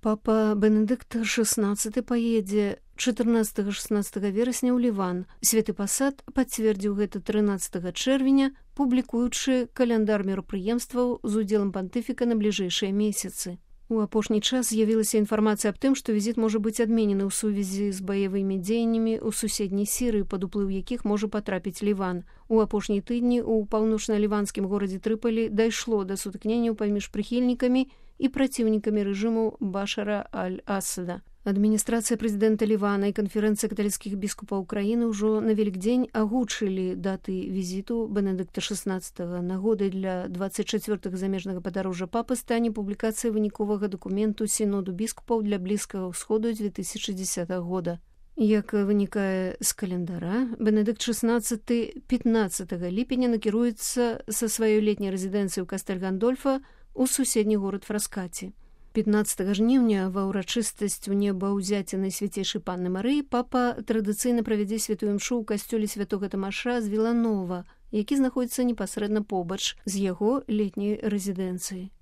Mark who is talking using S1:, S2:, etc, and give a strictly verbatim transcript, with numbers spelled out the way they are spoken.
S1: Папа Бенедыкт шестнадцаты паедзе чатырнаццатага-шэснаццатага верасня ў Ліван. Святы пасад пацвердзіў гэта трынаццатага чэрвеня, публікуючы каляндар мерапрыемстваў з удзелам пантыфіка на бліжэйшыя месяцы. У апошні час з'явілася інфармацыя аб тым, што візіт можа быць адменены ў сувязі з баявымі дзеяннямі ў суседняй Сірыі, пад уплыў якіх можа патрапіць Ліван. У апошнія тыдні ў паўночна-ліванскім горадзе Трыполі дайшло да сутыкненняў паміж прыхільнікамі і праціўнікамі рэжыму Башара аль-Асада. Адміністрацыя прэзідэнта Лівана і канферэнцыя каталіцкіх біскупаў краіны ўжо на Вялікдзень агучылі даты візіту Бенедыкта шэснаццатага. Нагодай для дваццаць чацвёртага замежнага падарожжа папы стане публікацыя выніковага дакументу сіноду біскупаў для Блізкага ўсходу дзве тысячы дзесятага года. Як вынікае з календара, Бенедыкт шэснаццаты пятнаццатага ліпеня накіруецца са сваёй летняй рэзідэнцыі ў Кастэль-Гандольфа у суседні горад Фраскаці. пятнаццатага жніўня ва ўрачыстасць у небаўзяцця Найсвяцейшай Панны Марыі папа традыцыйна правядзе святую імшу ў касцёле святога Тамаша з Віланова, які знаходзіцца непасрэдна побач з яго летняй рэзідэнцыяй.